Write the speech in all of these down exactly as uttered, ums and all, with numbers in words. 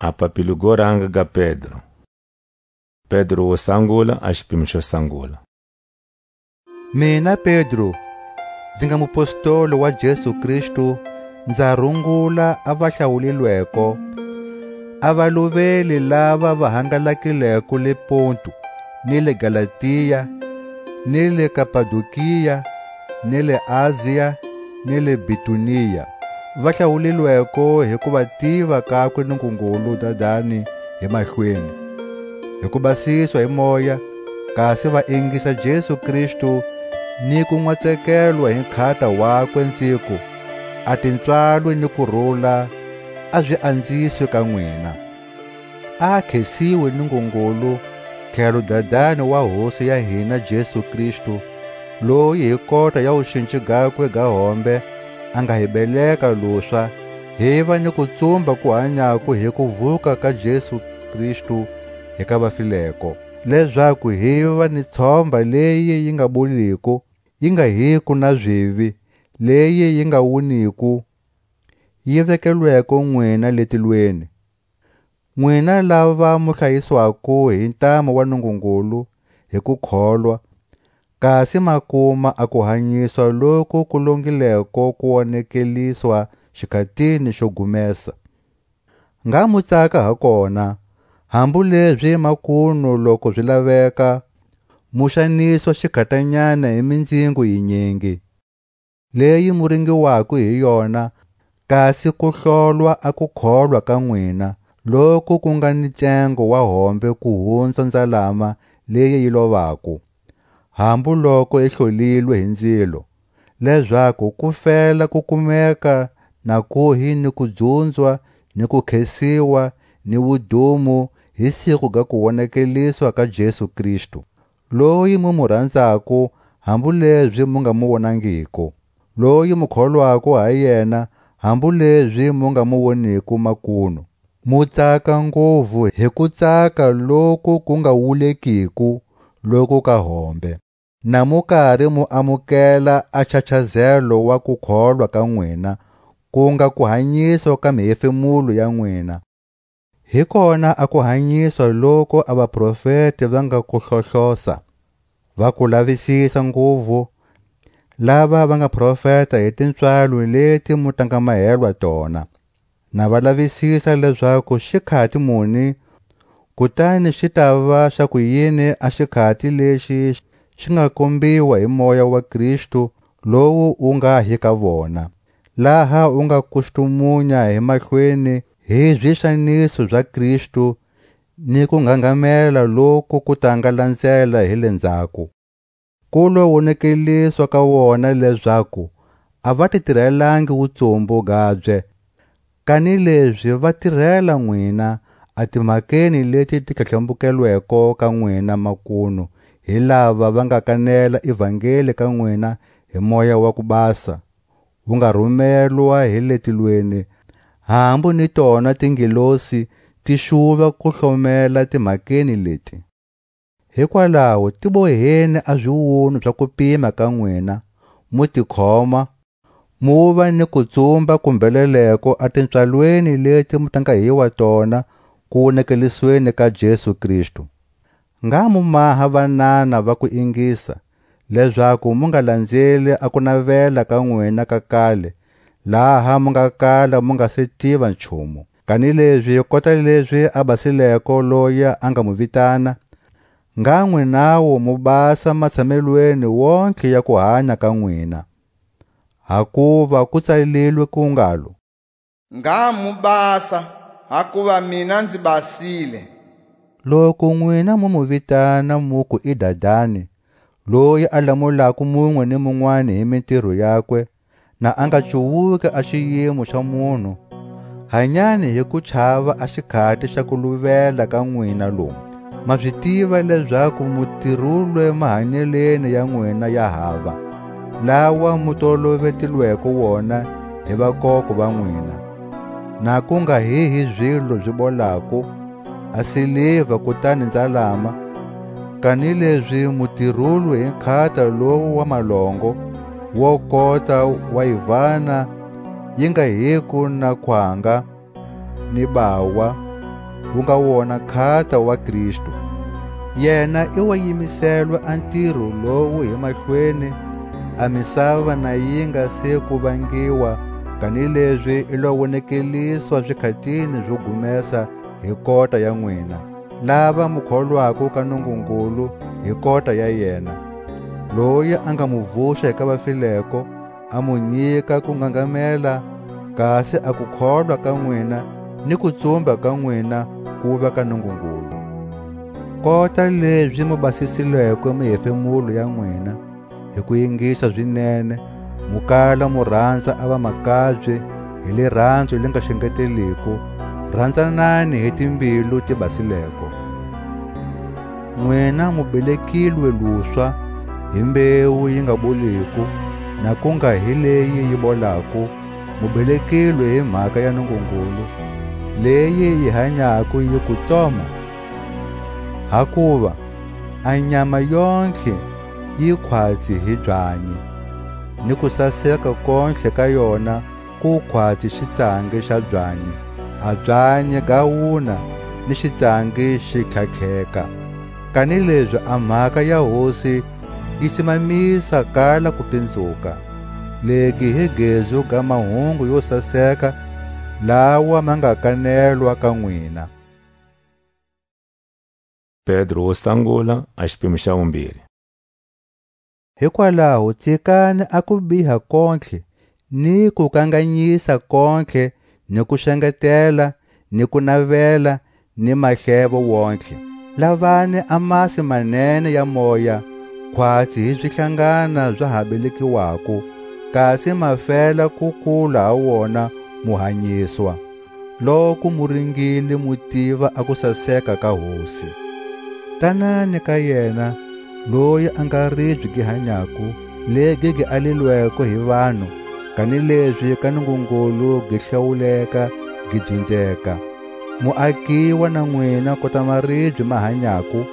A papilo go ranga ga Pedro. Pedro wo sangula, a xipimo xo sangula. Mina Pedro, nzi nga mupostoli wa Jesu Kristu, nza rungula a va hlawulilweko, a valuveli lava va hangalakileko le Pontu, ni le Galatia, ni le Kapadokia, ni le Asia, ni le Bitunia. Va hlawulilweko hi ku va tiva kakwe Nungungulu Dadani hi mahlweni, hi ku basiswa hi Moya, kasi va ingisa Jesu Kristu, ni ku nwa tsekelwa hi nkhata wakwe, nziku, a tipswalo ni kurula a zi anziswe ka nwina. A khesiwe Nungungulu, tlhelo Dadani wa Hosi ya hina Jesu Kristu, loyi hi kota ya wuxinci gakwe ga hombe a nga hi beleka lupswa, hi va ni kutsumba ku hanyako hi kuvuka ka Jesu Kristu hi ka vafileko, lezaku hi va ni tshomba leyi yi nga boliko, yi nga hiko na zivi, leyi yi nga wuniko, yi vekelweko nwina le tilweni. Nwina lava mu hlayiswako hi ntamu wa Nungungulu hi kukholwa, kasi ma kuma a kuhanyiswa loku ku longileko ku wonekeliswa xikhatini xo gumesa. Ngha mu tsaka ha kona, hambu lezi makunu loku zi laveka, mu xaniswa xikhatanyana hi mindzingo yinyingi, leyi mu ringiwako hi yona, kasi ku hlolwa a kukholwa ka nwina, loku ku nga ni ntsengo wa hombe ku hunza nzalama leyi yi lovako, hambu loko yi hlolilwe hi nzilo, lezaku ku fela ku kumeka na kuhi ni kudzunzwa ni kukhesiwa ni wudumo hi siku ga kuwonekeliswa ka Jesu Kristu, loyi mu mu ranzako, hambu lezi mu nga mu wonangiko, loyi mu kholwako ha yena, hambu lezi mu nga mu woniko makunu. Mu tsaka nguvu hi kutsaka loku ku nga wulekiko, loku ka hombe, na mu kari mu amukela a nchachazelo wa kukholwa ka nwina, ku nga kuhanyiswa ka mihefemulo ya nwina. Hi kona a kuhanyiswa loku a vaprofeti va nga ku hlohlosa, va ku lavisisa nguvu, lava va nga profeta hi tipswalo leti mu ta nga mahelwa tona. Na va lavisisa lezaku xikhati muni, kutani xi tava xa kuyini a xikhati lexi xi nga kombiwa hi Moya wa Kristu, lowu wu nga hi ka vona, laha wu nga kustumunya hi mahlweni hi zixaniso za Kristu, ni ku nghangamela loku ku ta nga landzela hi le ndzhaku. Ku lo wonekeliswa ka wona lezaku a va ti tirelangi wutsumbu gabye, kanilezi va tirela nwina a timhakeni leti ti tlhatlhambukelweko ka nwina makunu hi lava va nga kanela ivangeli ka nwina hi Moya wa ku Basa, wu nga rumelwa hi le tilweni, hambu ni tona tingelosi ti xuva ku hlomela timhakeni leti. Hikwalaho ti boheni a ziwunwa za kupima ka nwina, mu tikhoma, mu va ni kutsumba ku mbheleleko a tipswalweni leti mu ta nga hiwa tona ku wonekelisweni ka Jesu Kristu. Ngha mu maha vanana va ku ingisa, lezaku mu nga landzeli a kunavela ka nwina ka kale, laha mu nga kala mu nga se tiva nchumu. Kanilezi kota lezi a basileko loyi a nga mu vitana, ngha nwinawu mu basa matshamelweni wontlhe ya kuhanya ka nwina. Hakuva ku tsalilwe ku ngalo: Ngha mu basa, hakuva mina nzi basile. Loku nwina mu mu vitana, muku i Dadani, loyi a lamulako munwe ni munwani hi mintiro yakwe, na a nga cuwuki a xiyimo xa munhu, hanyani hi ku chava a xikhati xa kuluvela ka nwina lomu. Ma zi tiva lezaku mu tirulwe mahanyelweni ya nwina ya hava, lawa mu tolovetilweko wona hi vakoko va nwina, na ku nga hi hi zilo zi bolako, a siliva kutani nzalama, kanilezi mu tirulwe hi nkhata lowu wa malongo, wo kota wa yivana, yi nga hiko na khwanga, ni bawa, wu nga wona nkhata wa Kristu. Yena i wa yimiselwa a ntiro lowu hi mahlweni, a misava na yi nga se ku vangiwa, kanilezi i lo wonekeliswa zikhatini zo gumesa hi kota ya nwina, lava mu kholwako ka Nungungulu hi kota ya yena, loyi a nga mu vuxa hi ka vafileko, a mu nyika ku ngangamela, kasi a kukholwa ka nwina ni kutsumba ka nwina kuva ka Nungungulu. Kota lezi mu basisilweko mihefemulo ya nwina, hi ku yingisa zinene, mu kala mu ranza a vamakabye hi liranzo li nga xengeteliko, ranzanani hi timbilu ti basileko. Nwina mu belekilwe luswa hi mbewu yi nga boliko, na ku nga hi leyi yi bolako, mu belekilwe hi mhaka ya Nungungulu, leyi yi hanyako yi ku tsoma. Hakuva a nyama yontlhe yi khwatsi hi byanyi, ni kusaseka kontlhe ka yona ku khwatsi xitsangi xa byanyi, a byanyi ga wuna ni xitsangi xi tlhatlheka. Kanilezi a mhaka ya Hosi yi simamisa kala kupinzuka. Legi hi gezu ga mahungu yo saseka, lawa ma nga kanelwa ka nwina. Pedro wo sangula, a xipimo xa vumbirhi. Hikwalaho tsikani a kubiha kontlhe, ni kukanganyisa kontlhe, ni kuxengetela, ni kunavela, ni mahlevo wontlhe. Lavani a masi manene ya moya, khwatsi hi zihlangana za ha belekiwako, kasi ma fela ku kula ha wona, mu hanyiswa. Loku mu ringile mu tiva a kusaseka ka Hosi. Tanani ka yena, loyi a nga ribye gi hanyako, legi gi alilweko hi vanhu, kanilezi ka Nungungulu gi hlawuleka, gi dzunzeka. Mu akiwa na nwina kota maribye ma hanyako,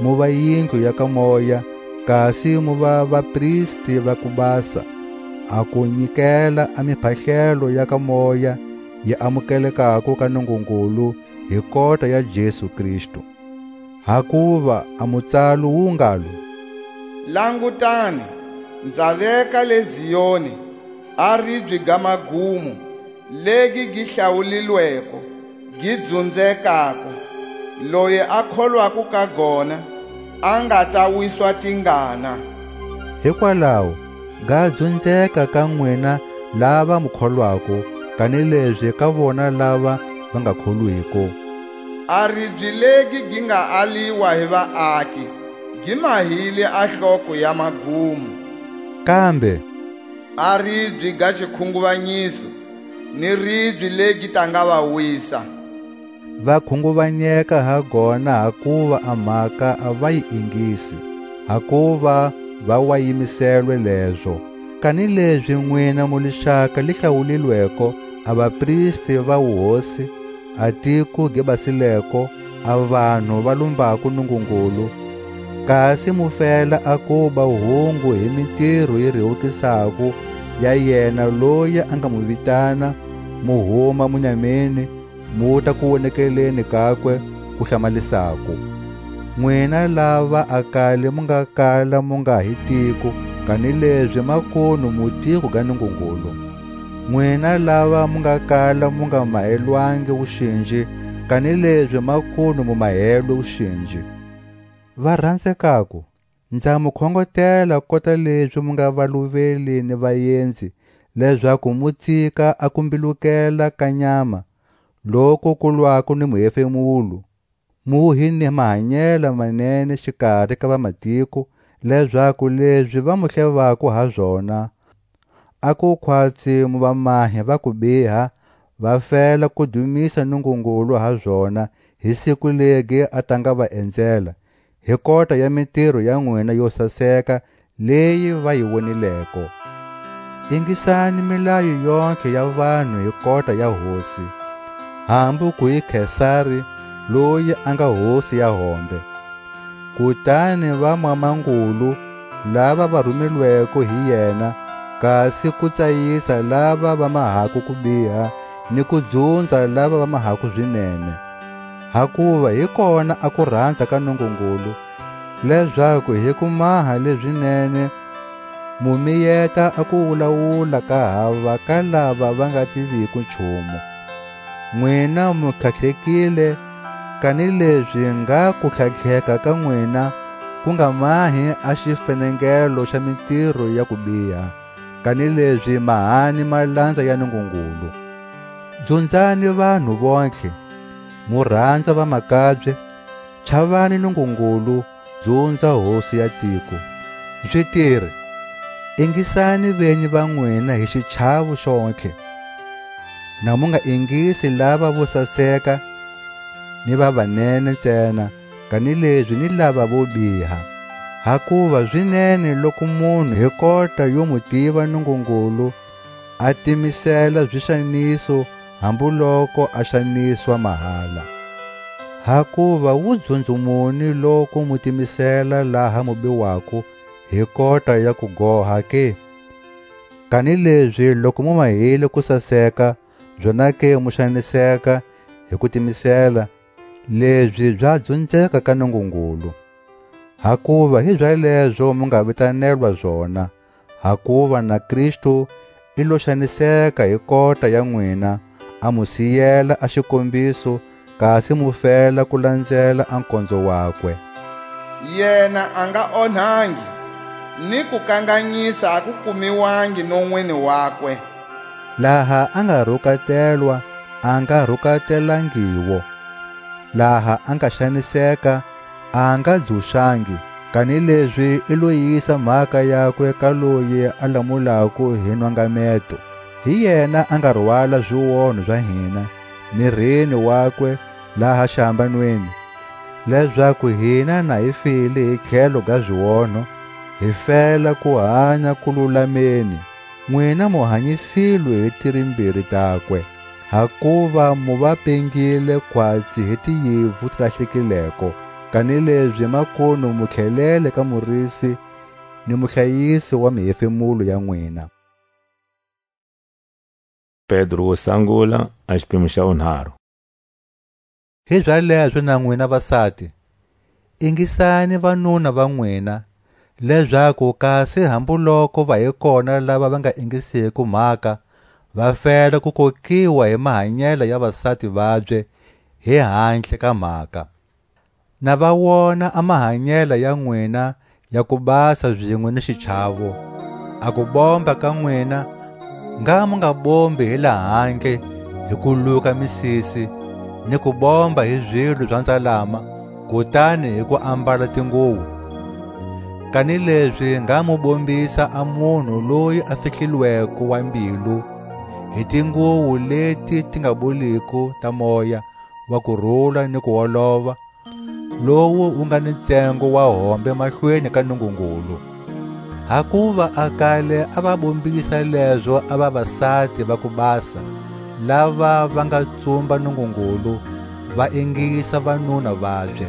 mu va yindlu ya ka moya, kasi mu va vapristi va ku basa, a ku nyikela a miphahlelo ya ka moya, yi amukelekako ka Nungungulu hi kota ya Jesu Kristu. Hakuva a mutsalo wu ngalo: Langutani, nza veka le Zioni a ribye ga magumo, legi gi hlawulilweko, gi dzunzekako, loyi a kholwako ka gona a nga ta wiswa tingana. Hikwalaho, ga dzunzeka ka nwina lava mu kholwako, kanilezi ka vona lava va nga kholwiko. A ribye legi gi nga aliwa hi vaaki, gi mahile a hloko ya magumo. Kambe a ribye ga xikhunguvanyiso, ni ribye legi ta nga va wisa. Va khunguvanyeka ha gona, hakuva a mhaka a va yi ingisi, hakuva va wa yimiselwe lezo. Kanilezi nwina mu lixaka li hlawulilweko, a vapristi va wuhosi, a tiko gi basileko, a vanhu va lumbako Nungungulu, kasi mu fela a kuba hungu hi mitiro yi rewukisako ya yena loyi a nga mu vitana, mu huma munyameni, muta kuwonekeleni kakwe ku hlamalisako. Nwina lava a kale mu nga kala mu nga hi tiko, kanilezi makunu mu tiko ga Nungungulu. Nwina lava mu nga kala mu nga mahelwangi wuxinji, kanilezi makunu mu mahelwe wuxinji. Va rhanzekako, nza mu khongotela kota lezi mu nga valuveli ni vayenzi, lezaku mu tsika a kumbilukela ka nyama, loku ku lwako ni muhefemulo, mu hi ni mahanyela manene xikari ka vamatiko, lezaku lezi va mu hlevako ha zona, a ku khwatsi mu va mahe va kubiha, va fela ku dumisa Nungungulu ha zona, hi siku legi a ta nga va enzela, hi kota ya mitiro ya nwina yo saseka leyi va yi wonileko. Ingisani milayo yontlhe ya vanhu hi kota ya Hosi, hambu ku hi Kesari, loyi a nga hosi ya hombe. Kutani vamwamangulu, lava va rumilweko hi yena, kasi ku tsayisa lava va mahako kubiha, ni ku dzunza lava va mahako zinene. Hakuva hi kona a kuranza ka Nungungulu, lezaku hi kumaha lezinene mu miyeta a kuwulawula ka hava ka lava va nga tiviko nchumu. Nwina mu tlhatlhekile, kanilezi ngha kutlhatlheka ka nwina ku nga mahi a xifenengelo xa mitiro ya kubiha, kanilezi mahani malanza ya Nungungulu. Dzunzani vanhu vontlhe, mu ranza vamakabye, chavani Nungungulu, dzunza Hosi ya tiko. Zitiri, ingisani venyi va nwina hi xichavu xontlhe. Na mu nga ingisi lava vo saseka ni va vanene ntsena, kanilezi ni lava vo biha. Hakuva zinene loku munhu hi kota yo mu tiva Nungungulu, a timisela zixaniso, hambu loko a xaniswa mahala. Hakuva wu dzunzumuni loku mu timisela laha mu biwako hi kota ya kugoha ke? Kanilezi loku mu mahile kusaseka, zonake mu xaniseka hi kutimisela, lezi za dzunzeka ka Nungungulu. Hakuva hizalezo mu nga vitanelwa zona, hakuva na Kristu i lo xaniseka hi kota ya nwina, a mu siyela a xikombiso, kasi mu fela ku lanzela a nkonzo wakwe. Yena a nga onhangi, ni kukanganyisa a ku kumiwangi nonweni wakwe. Laha a nga rukatelwa, a nga rukatelangiwo; laha a nga xaniseka, a nga dzuxangi, kanilezi i lo yisa mhaka yakwe ka loyi a lamulako hi nwangameto. Hi yena a nga rwala zionho za hina mirini wakwe laha xihambanweni, lezaku hina na hi file hi tlhelo ga zionho, hi fela ku hanya ku lulameni. Nwina mu hanyisilwe hi tirimbiri takwe, hakuva mu va pengile khwatsi hi tiyivu ti lahlekileko, kanilezi makunu mu tlhelele ka Murisi ni Muhlayisi wa mihefemulo ya nwina. Pedro wo sangula, a xipimo xa wunharhu. Hizalezo na nwina vasati, ingisani vanuna va nwina, lezaku kasi hambu loko va hi kona lava va nga ingisiko mhaka, va fela ku kokiwa hi mahanyelo ya vasati vabye hi handle ka mhaka. Na va wona a mahanyelo ya nwina ya ku basa zinwe ni xichavo. A ku bomba ka nwina, ngha mu nga bombi hi lahandle hi ku luka misisi, ni ku bomba hi zilo za nzalama, kutani hi ku ambala tinguwo. Kanilezi ngha mu bombisa a munhu loyi a fihlilweko wa mbilu, hi tinguwo leti ti nga boliko ta moya wa kurula ni ku olova, lowu wu nga ni ntsengo wa hombe mahlweni ka Nungungulu. Hakuva a kale a va bombisa lezo a vavasati va ku basa, lava va nga tsumba Nungungulu, va ingisa vanuna vabye.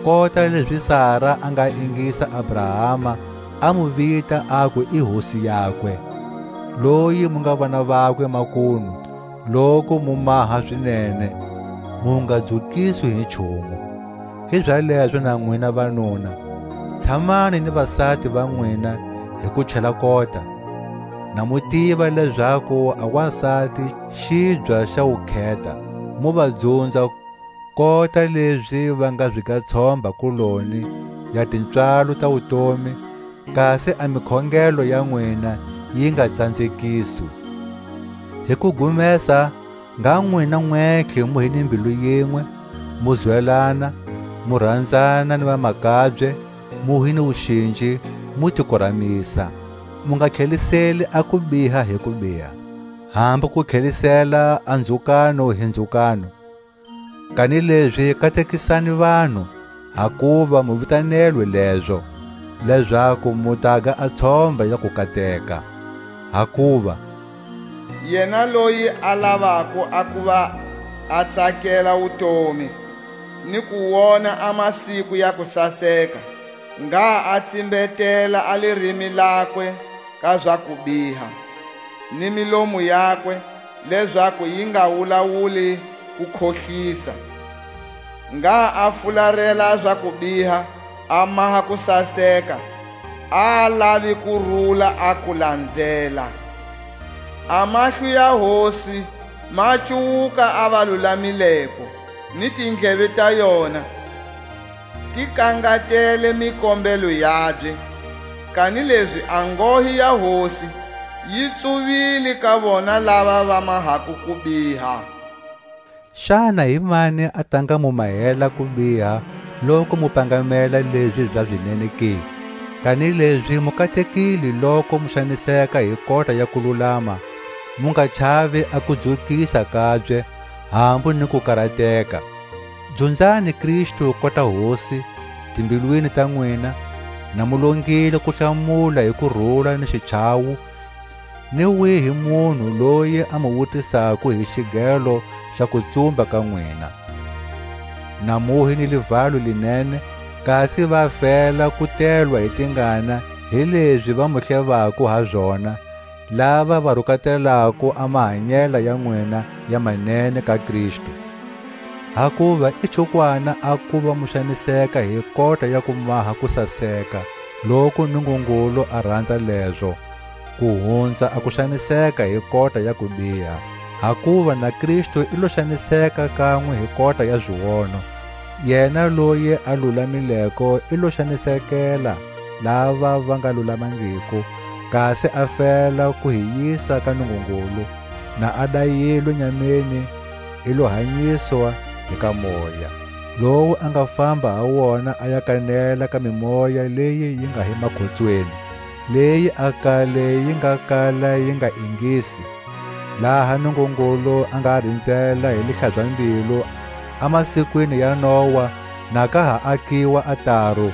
Kota lezi Sara a nga ingisa Abrahama, a mu vita, aku i hosi yakwe, loyi mu nga vana vakwe makunu, loku mu maha zinene, mu nga dzukiswi hi nchumu. Hizalezo na nwina vanuna, tshamani ni vasati va nwina hi ku chela kota. Na mu tiva lezaku a wasati xibya xa wukheta, mu va dzunza, kota lezi va nga zi ga tshomba kuloni ya tipswalo ta wutomi, kasi a mikhongelo ya nwina yi nga tsanzekiswi. Hi ku gumesa, ngha nwina nwentlhe mu hi ni mbilu yinwe, mu zwelana, mu ranzana ni vamakabye, mu hi ni wuxinji, mu ti kuramisa. Mu nga tlheliseli a kubiha hi kubiha, hambu ku tlhelisela a ndzhukano hi ndzhukano. Kanilezi katekisani vanhu, hakuva mu vitanelwe lezo, lezaku mu taga a tshomba ya kukateka. Hakuva yena loyi a lavako a kuva a tsakela wutomi, ni ku wona a masiku ya kusaseka, ngha a tsimbetela a lirimi lakwe ka za kubiha, ni milomu yakwe, lezaku yi nga wulawuli ku khohlisa. Ngha a fularela za kubiha, a maha kusaseka, a lavi ku rula a ku lanzela. A mahlo ya Hosi ma cuwuka a va lulamileko, ni tindleve ta yona ti kangatele mikombelo yabye, kanilezi a ngohi ya Hosi yi tsuvile ka vona lava va mahako kubiha. Xana hi mani a ta nga mu mahela kubiha loku mu pangamela lezi za zinene ke? Kanilezi mu katekile loku mu xaniseka hi kota ya kululama, mu nga chavi a kudzukisa kabye, hambu ni ku karateka. Dzunzani Kristu kota Hosi timbilwini ta nwina, na mu longile ku hlamula hi kurula ni xichawu, ni wihi munhu loyi a mu wutisako hi xigelo xa kutsumba ka nwina. Na muhi ni livalo linene, kasi va fela ku telwa hi tingana hi lezi va mu hlevako ha zona, lava va rukatelako a mahanyela ya nwina ya manene ka Kristu. Hakuva i chukwana a kuva mu xaniseka hi kota ya ku maha kusaseka, loku Nungungulu a ranza lezo, ku hunza a ku xaniseka hi kota ya kubiha. Hakuva na Kristu i lo xaniseka kanwe hi kota ya ziono, yena loyi a lulamileko i lo xanisekela lava va nga lulamangiko, kasi a fela ku hi yisa ka Nungungulu, na a dayilwe nyameni, i lo hanyiswa hi ka Moya, lowu a nga famba ha wona a ya kanela ka mimoya leyi yi nga hi makhotsweni, leyi a kale yi nga kala yi nga ingisi, laha Nungungulu a nga rinzela hi lihlaza-mbilu a masikwini ya Nowa, na ka ha akiwa a taru,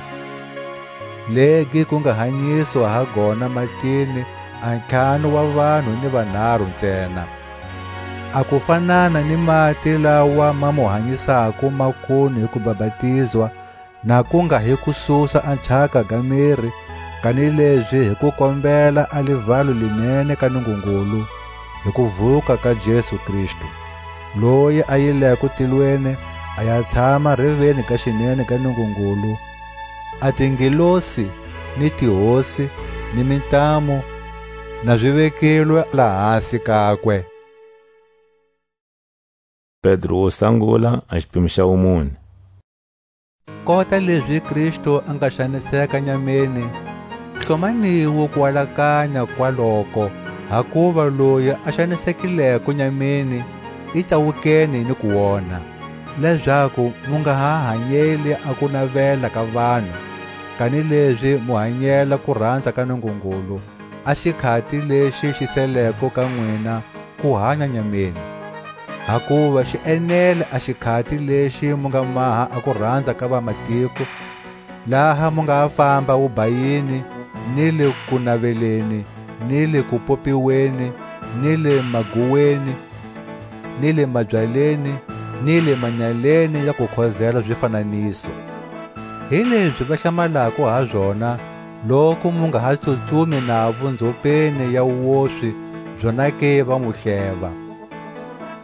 legi ku nga hanyiswa ha gona matini a ntlhanu wa vanhu ni vanharu ntsena. A ku fanana ni mati lawa ma mu hanyisako makunu hi kubapatizwa, na ku nga hi ku susa a nchaka ga miri, kanilezi hi ku kombela a livalo linene ka Nungungulu, hi kuvuka ka Jesu Kristu, loyi a yileko tilweni, a ya tshama reveni ga xinene ga Nungungulu, a tingelosi, ni tihosi, ni mintamu, na zi vekelwe lahasi kakwe. Pedro wo sangula, a xipimo xa wumune. Kota lezi Kristu a nga xaniseka nyameni, hlomaniwo kualakanya kwaloko, hakuva loyi a xanisekileko nyameni i tsawukeni ni kuonha, lezaku mu nga ha hanyeli a kunavela ka vanhu, kanilezi mu hanyela kuranza ka Nungungulu, a xikhati lexi xi seleko ka nwina ku hanya nyameni. Hakuva xi enele a xikhati lexi mu nga maha a kuranza ka vamatiko, laha mu nga famba wubayini, ni le kunaveleni, ni le kupopiweni, ni le maguweni, ni le mabyaleni, ni le manyaleni ya kukhozela zifananiso. Hilezi va hlamalako ha zona, loku mu nga ha tsutsumi navo nzhopeni ya woswi, zonake va mu hleva.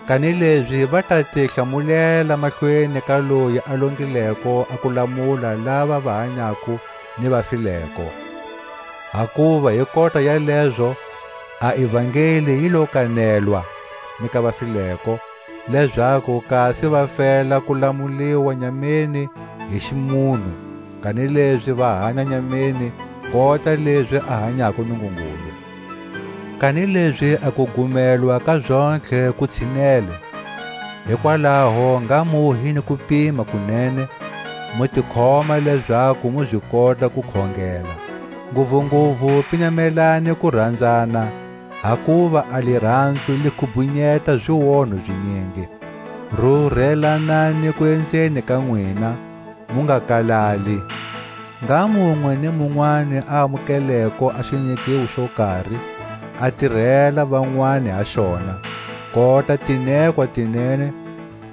Kanilezi va ta ti hlamulela mahlweni ka loyi a longileko a ku lamula lava va hanyako ni va fileko. Hakuva hi kota ya lezo, a ivangeli yi lo kanelwa ni ka va fileko, lezaku kasi va fela ku lamuliwa nyameni hi ximunhu, kanilezi va hanya nyameni kota lezi a hanyako Nungungulu. Kanilezi a kugumelwa ka zontlhe ku tshinele, hikwalaho ngha mu hi ni kupima kunene, mu tikhoma lezaku mu zi kota ku khongela. Nguvunguvu pinyamelani ku ranzana, hakuva a liranzu li khubhunyeta zionho zinyingi. Rurhelanani ku enzeni ka nwina, mu nga kalali. Ngha munwe ni munwani a amukeleko a xinyikiwo xo kari, a tirhela vanwani ha xona, kota tinekwa tinene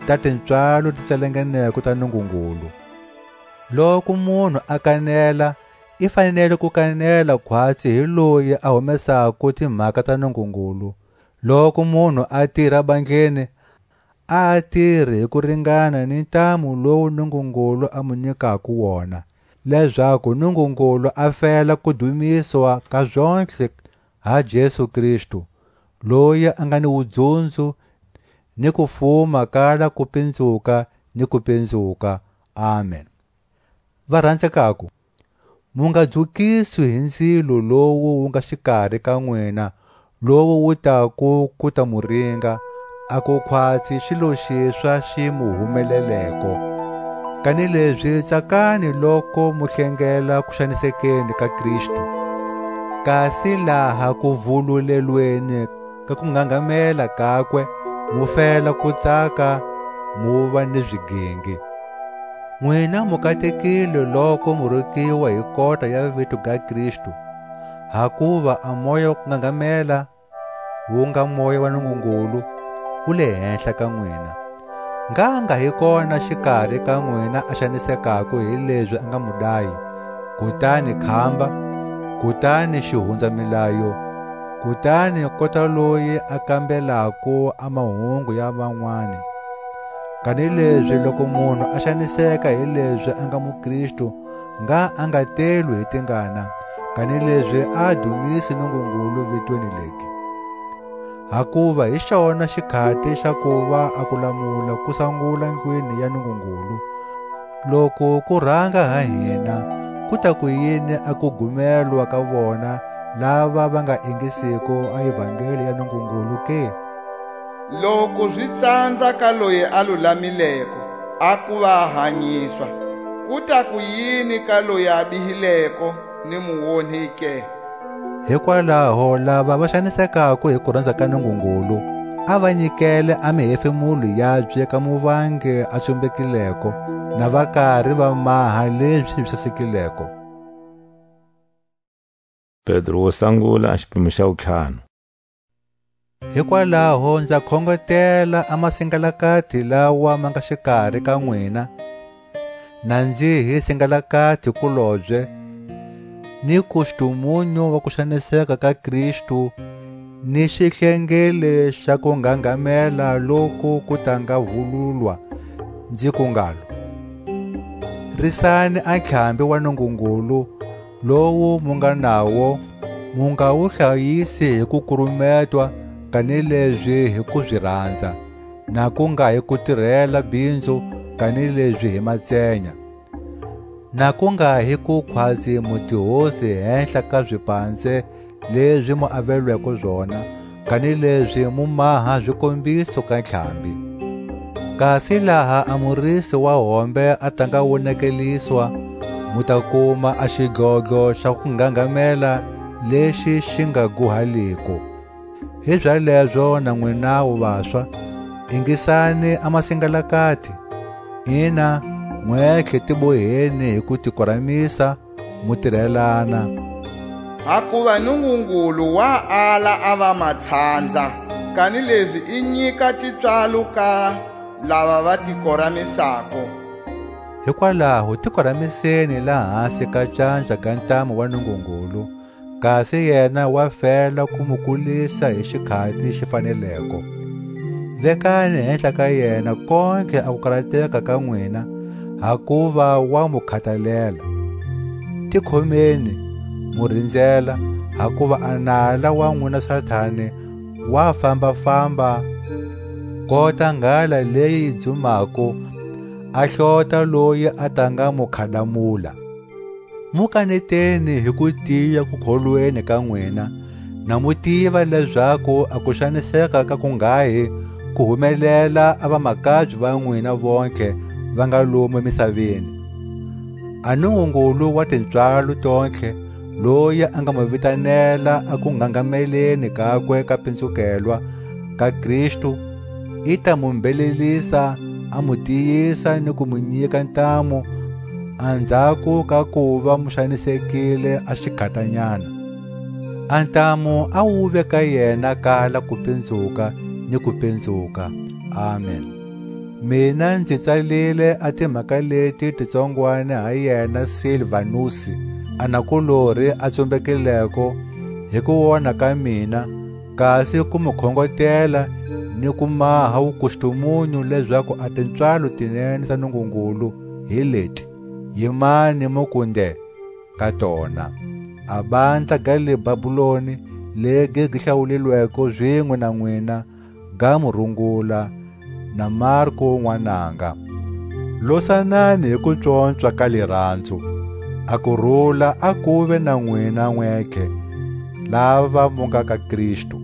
ta tipswalo ti tsalanganeko ta Nungungulu. Loku munhu a kanela, i fanele ku kanela khwatsi hi loyi a humesako timhaka ta Nungungulu. Loku munhu a tira bandleni, a a tiri hi ku ringana ni ntamu lowu Nungungulu a mu nyikako wona, lezaku Nungungulu a fela ku dumiswa ka zontlhe ha Jesu Kristu, loyi a nga ni wudzunzu ni kufuma kala kupinzuka ni kupinzuka. Amen. Varanzekako, mu nga dzukiswi hi nzilo lowu wu nga xikari ka nwina, lowu wu tako ku ta mu ringa, a ku khwatsi xilo xiswa xi mu humeleleko. Kanilezi tsakani loko mu hlengela kuxanisekeni ka Kristu, kasi laha kuvululelweni ka kungangamela kakwe, mu fela kutsaka, muva ni zigingi. Nwina mu katekile loku mu rukiwa hi kota ya vito ga Kristu, hakuva a Moya wa kungangamela, wu nga Moya wa Nungungulu, wu le henhla ka nwina. Ngha nga hi kona xikari ka nwina a xanisekako hi lezi a nga mudayi, kutani khamba, kutani xihunzamilayo, kutani kota loyi a kambelako a mahungu ya vanwani. Kanilezi loku munhu a xaniseka hi lezi a nga muKristu, ngha a nga telwi hi tingana, kanilezi a dumisi Nungungulu vitweni legi. Hakuva hi xona xikhati xa kuva a kulamula ku sangula ndlwini ya Nungungulu, loku ku ranga ha hina, ku ta kuyini a kugumelwa ka vona lava va nga ingisiko a Evangeli ya Nungungulu ke? Loku zi tsanza ka loyi a lulamileko a kuva a hanyiswa, ku ta kuyini ka loyi a bihileko ni muonhi ke? Hikwalaho lava va xanisekako hi kuranza ka Nungungulu, a va nyikele a mihefemulo yabye ka Muvangi a tsumbekileko, na va kari va maha lezi zi sasekileko. Pedro wo sangula, a xipimo xa wutlhanu. Hikwalaho nza khongetela a masingalakati lawa ma nga xikari ka nwina, na nzi hi singalakati kulobye, ni kustumunyu wa kuxaniseka ka Kristu, ni xihlengele xa kungangamela loku ku ta nga vululwa, nzi ku ngalo: Risani a ntlhambi wa Nungungulu, lowu mu nga nawo, mu nga wu hlayisi hi kukurumetwa, kanilezi hi kuziranza, na ku nga hi kutirela bhinzu, kanilezi hi matsenya, na ku nga hi kukhwatsi mu tihosi hehla ka zipanze lezi mu avelweko zona, kanilezi mu maha zikombiso ka ntlhambi. Kasi laha a murisi wa hombe a ta nga wonekeliswa, mu ta kuma a xidlodlo xa kungangamela lexi xi nga guhaliko. Hizalezo na nwinawu vaswa, ingisani a masingalakati, ina, nwetlhe tiboheni hi kutikoramisa, mu tirelana. Hakuva Nungungulu wa ala a vamatshandza, kanilezi i nyika tipswalo ka lava va tikoramisako. Hikwalaho tikoramiseni lahasi ka canja ga ntamu wa Nungungulu, kasi yena wa fela ku mu kulisa hi xikhati xi faneleko. Vekani hehla ka yena kontlhe a kukarateka ka nwina, hakuva wa mu khatalela. Tikhomeni, mu rinzela, hakuva a nala wa nwina Satani wa famba-famba, kota nghala leyi yi dzumako, a hlota loyi a ta nga mu khadamula. Mu kaneteni hi kutiya kukholweni ka nwina, na mu tiva lezaku a kuxaniseka ka kunghahi ku humelela a vamakabye va nwina vontlhe va nga lomu misaveni. A Nungungulu wa tipswalo tontlhe, loyi a nga mu vitanela a ku ngangameleni kakwe ka pinzukelwa ka Kristu, i ta mu mbhelelisa, a mu tiyisa ni ku mu nyika ntamu, anzhako ka kuva mu xanisekile a xikhatanyana. A ntamu a wuve ka yena kala kupinzuka ni kupinzuka. Amen. Mina nzi tsalile a timhaka leti titsongwani ha yena Silvanusi, a nakulori a tsumbekileko, hi ku wona ka mina, kasi ku mu khongotela ni ku maha wukustumunyu lezaku a tipswalo ti nene ta Nungungulu hi leti. Yimani mu ku nde ka tona: A bandla ga le Babuloni, legi gi hlawulilweko zinwe na nwina, ga mu rungula, na Marku nwananga. Losanani hi kupswopswa ka liranzu. A kurula a kuve na nwina nwentlhe, lava mu nga ka Kristu.